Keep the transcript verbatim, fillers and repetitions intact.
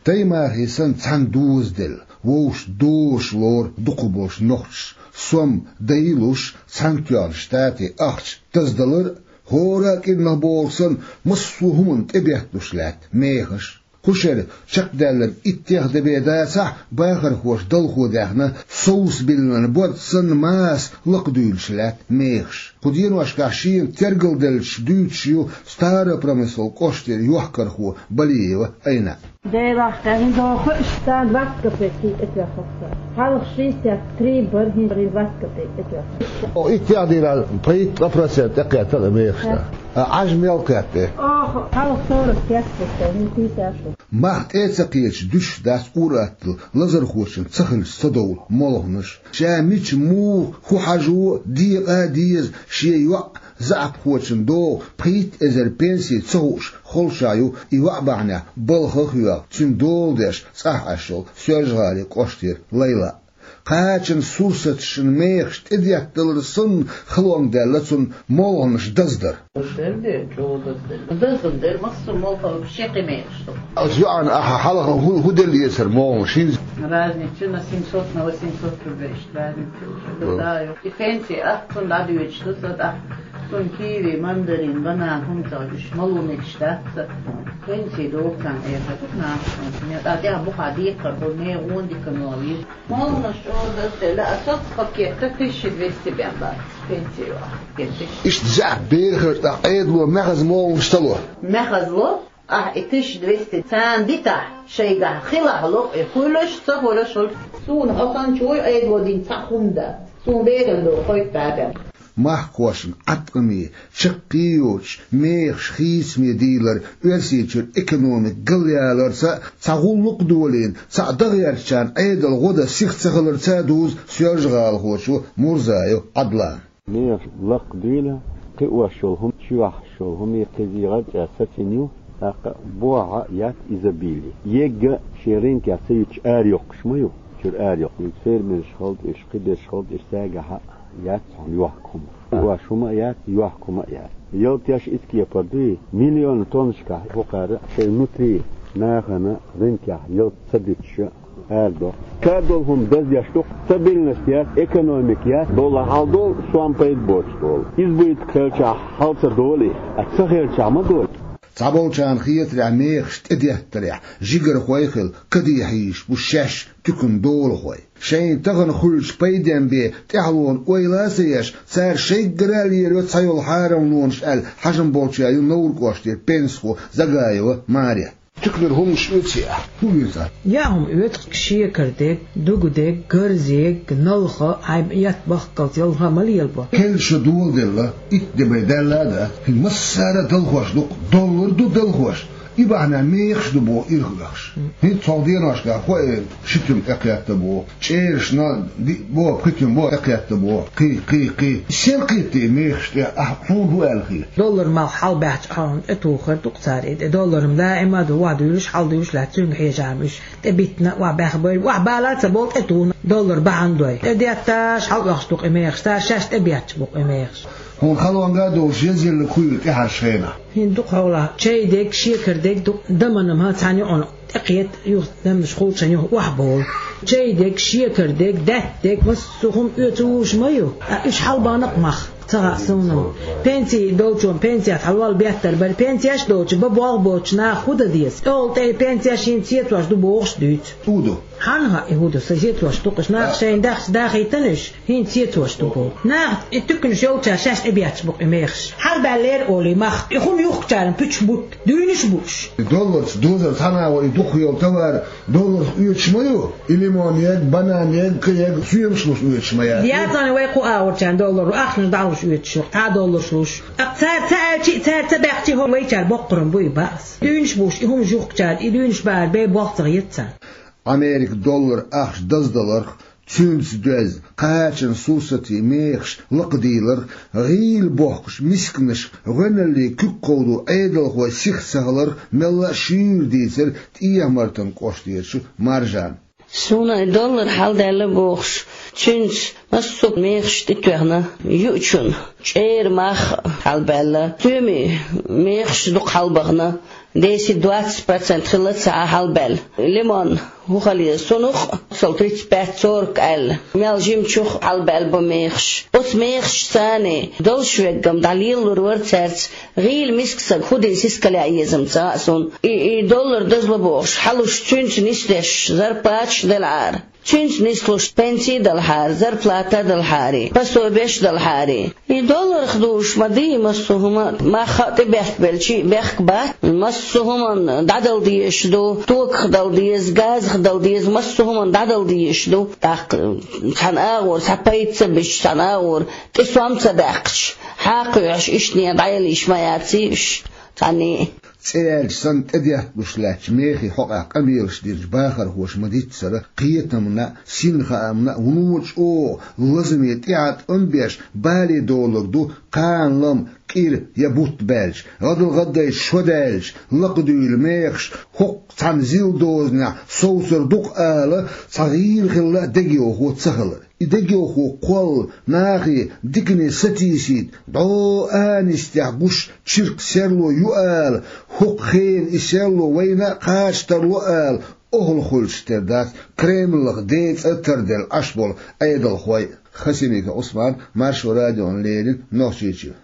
Таймахе санна цхьана дозаделла, вовшашта дозуш лору дукхахболчу нохчаша, сом дайлуш, Цхьаьнатоьхначу Штатийн ахча даздалар а, хӀора а кӀирнах бохург санна, массо а хӀуманна тӀедетталуш лаьтта мехаш. Кху шеран чекхдаьлларг иттех де бен дацахь а, бахархоша далхо даьхна, совцабиллинарг борз санна, маса лакхадуьйлуш лаьтта мехаш. Кху деношкахь шена тергалделлачух дуьйцуш ю Старопромысел кӀоштара йохкархо Балиева Айна. Делахь, хӀинца доху иштта двадцать копейки тӀетоьхна хӀокху. Хьалха шестьдесят три бара, хӀинца двадцать копейки тӀетоьхна. О, иттех дийнахь пайда ткъа процент тӀекхетта мехашна. А Ӏаж мел кхетта? Оха, хьалха сорок пять бу, хӀинца пятьдесят шу. Мах тӀе а ца кхеташ дуьсуш дац ур-атталла лазархочун ца хилча ца довла молханаш. Ша мича, муха, хӀун хьажо а, декъа а деза, шен йоӀ заьӀапхочун догӀу пхийтта эзар пенси ца хууш холчахь ю и йоӀ бахьанехь балха а хьоьху, цуьнан дола деш цӀахь Ӏаш йолу Соьлжа-ГӀалин кӀоштара Лайла. Кхачанан сурсаташна мехаш тӀедетталар санна, халонга даьлла цунна молханаш даздар. Дер де, чӀогӀа дазделла. Даздан дер, массо а молханаш шен кхин мехаш ду. Ас йоӀана ахьа хьалха хӀу-, хӀун делла эцар молханаш хӀинца? Разница на семьсот, на восемьсот рублей, иштта разница уже. Да, да, ю. И пенси а цунна дӀадоьдуш ду сан тӀаккха. Цунна киви, мандарин, банан хӀума ца хилча, мало мегаш дац сан. Пенси догӀу царна, эхь ду нахана. Я тӀаккха тӀехь бухахь декхар бу, мега гӀондика новий. Молханаш чӀогӀа дазделла, а соцпакетта тысяча двести бен бац пенси ю ахь. Иштта заьӀап берхар тӀаккха Ӏедало маьхаза молханаш ца ло? Маьхаза ло, ахь и тысяча двести царна дитахь, шайгахь хилахь ло, и хуьлуш, ца хуьлуш хуьлу. Суна хӀокхунчу вуй Ӏедало дина цхьа хӀума дац. Суна беран догӀу кхойтта бен. Махкахошна Ӏаткъаме, чаккхе йоцуш мехаш хийцаме дийлар Оьрсийчуьра экономика галъяларца а, цхьа гӀуллакх а долийна, цхьаъ дан гӀертачарна Ӏедалан гӀо дан сиха ца хиларца а дузу соьлжагӀалахочо Мурзаев Ӏадлана. Мехаш лакхадуьйла, кхиош йолу хӀума, чоьхьаш йолу хӀума, кхин зегӀар а цӀа сацийна ю, тӀаккха бохьа яц изобилие. Ега шен рынкехь ца юьтуш арайоккхуш ма ю, чуьра арайоккхуш. Фермерш хилча уьш, кхин берш хилча уьш, цаьргахь а яц хьуна йохка хӀума. Ош хӀума а яц, йохка хӀума а яц. Ялтеш иза кепара дуй, миллион тоннашкахь хӀокхара шайн внутри нахана рынкехь ялта ца дуьтуш арадо. Кадол хӀума даздеш ду-кх, стабильность яц, экономика яц, доллар хьалдолу, сом пайда боцуш долу. Избыток хилчахь хьал ца долу и, а ца хилчахь ма долу. Цхьаболчарна хетарехь, мехаш тӀедеттарехь жигархой а хилла, каде хьийзаш бу шаьш туьканан долахой. Шайна тахана хуьлучу пайден бен тӀаьхьалонан ойла а ца еш, цара шайггара а лелайо цхьайолу хьарамлонаш аьлла, хьажам болчаьрга ю Невран кӀоштара пенсихо Загаева Марет. Туьканара хӀуманаш оьций ахь? ХӀун оьцу ахь? Яа хӀума оьцу, шекар дерг, дуга дерг, гарза ерг, налха, хьайн етт бахкалц ялха ма лелабо. Кхин шо доладелла, итт де бен даьлла а дац, хӀинца массара а далхош ду-кх, доллар ду далхош. И бахьана мехаш ду боху ирхъахоша. ХӀинца цхьа деношкахь хӀокху ши туьма тӀекхетта боху. ЧӀерашна диъ боху, пхи туьма боху тӀекхетта боху. Кхин, кхин, кхин. Сел кхетта и мехаш тӀе, ахь хьуна хӀун аьлла хета? Доллар малх хьалабаьхча, ахьа хьуна тӀетухур ду-кх цара. И доллар ма даима а ду, охьадуьйлуш, хьалдуьйлуш лаьтта, цуьнга хьежа ма уьш. ТӀебиттина, охьабаьхна бой, охьабала а ца болу, тӀетухна доллар бахьана дой. ТӀедетташ хьалаоьхуш ду-кх и мехаш, цара шаьш тӀебетташ бу-кх и мехаш. Хьуна халонга а долуш, еза елла кхуьйла тӀаьхьарчу хенахь. ХӀинца ду-кх хьолахь чай дерг, шекар дерг ду-кх, даманна хӀа цхьана юкъана тӀекхета, юха даманаш хулчахьана юха охьаболу. Чай дерг, шекар дерг, даьтта дерг, массо а хӀума оьцуш ма ю. Ткъа уьш хьалабахна-кх мах, ца хаьа суна. Пенси долчунна пенсият хьалавала беттар бара, пенсеш а доцуш, бан болх боцуш наха хӀун дан деза? ТӀехула тӀе пенсеш хӀинца сецош ду бохуш дуьйцу. ХӀун ду? Хьанна хаьа и хӀун ду, сан сецош ду-кх уьш, наха шайна дахча дахийтина уьш. ХӀинца сецош ду боху. Наха и туьканаш йолчара шаьш тӀебетташ бу-кх и мехаш. Хьалабаьллера олий мах. И хӀума юхкучарна пуьчаш бутта. Дуьйнаш а бу уьш. И долларца дозар цхьана а вай дукха йолу товар долларца оьцуш ма ю. И лимон ерг, банан ерг, кхин ерг соьмаш луш оьцуш ма яц. Яцане вай кху агӀорчарна доллар, ахчанаш дӀалуш оьцуш ю, цхьа долларш луш. Ткъа цара ца аьлчи а, цара ца баьхчи а, хӀора вайчара боккха хӀума буй баъс. Дуьйнаш бу уьш, и хӀумаш юхкучара, и дуьйнаш бахьара бен болх ца хета царна. Американ доллар ахча даздаларх, цуьнца доьзна кхачанан сурсатийн мехаш лакхадийларх, гӀийла бохкучу мисканашка гӀоьналлин куьг кховдо Ӏедалхой сиха ца хиларх мелла а шуьйра дийцира ТӀехьа-Мартан кӀоштерчу Маржана. Суна и доллар хьалдаьлла бохуш, цуьнца массо а мехаш тӀетоьхна, юучун чӀеран мах хьалабаьлла, стоьмийн мехаш дукха хьалабахана. Десять-двадцать процент хилла ца хьалбаьлла. Лимон, хӀу хала еза, цунах а, цал тридцать пять-сорок аьлла, мел жимачух хьалбаьлла бу мехаш. Оцу мехашца царна долуш верг-м дӀалелалур вара цаьрца, гӀийла миска саг хӀу дина сискале езам ца хаьа суна. И, и доллар дазло бохуш, хьалуш цуьнца нисдеш зарплаташ делахьара. Цуьнца нислуш пенсий далахьара, зарплата далахьара, пособеш далахьара. И долларх дуьйш ма дий массо а хӀума, мах а тӀебехкабелча а бехк бац, массо а хӀуманна дӀадала дезаш ду, токах дала деза, газах дала деза, массо а хӀуманна дӀадала дезаш ду. ТӀаккха цхьана агӀор цхьа пайда ца беш, цхьана агӀор тӀе сом ца баьккхича, хьакхоьхьуш иштта дӀаялийша ма яций уьш цхьанне а. ЦӀе яьлча санна тӀедетталуш лаьттачу мехий хьокъехь къамелаш динчу бахархоша ма-дийццара, кхетамна а, синхаамна а вуно чӀогӀа лазаме тӀеӀаткъам беш бале долург ду, кхана-лама кӀира я бутт баьлча, гӀадал гӀаддайчу шо даьлча, лакхадуьйлу мехаш хӀокху цхьана зил дозанехь совцур ду-кх ала, цхьа гӀийла хилла а дегайовхо ца хилар. И дегайовхо кхолла, нахе дикане сатийсийта, дӀо а нисдехь гуш чиркх серло ю ала, хӀокху хенахь и серло вайна а кхача тарло ала, охьалхуьлуш тера дац Кремлах ден цӀа тарделла Ӏаш болу Ӏедалхой а. Хасимиков Ӏусман, Маршо радиона леррина, Нохчийчоь.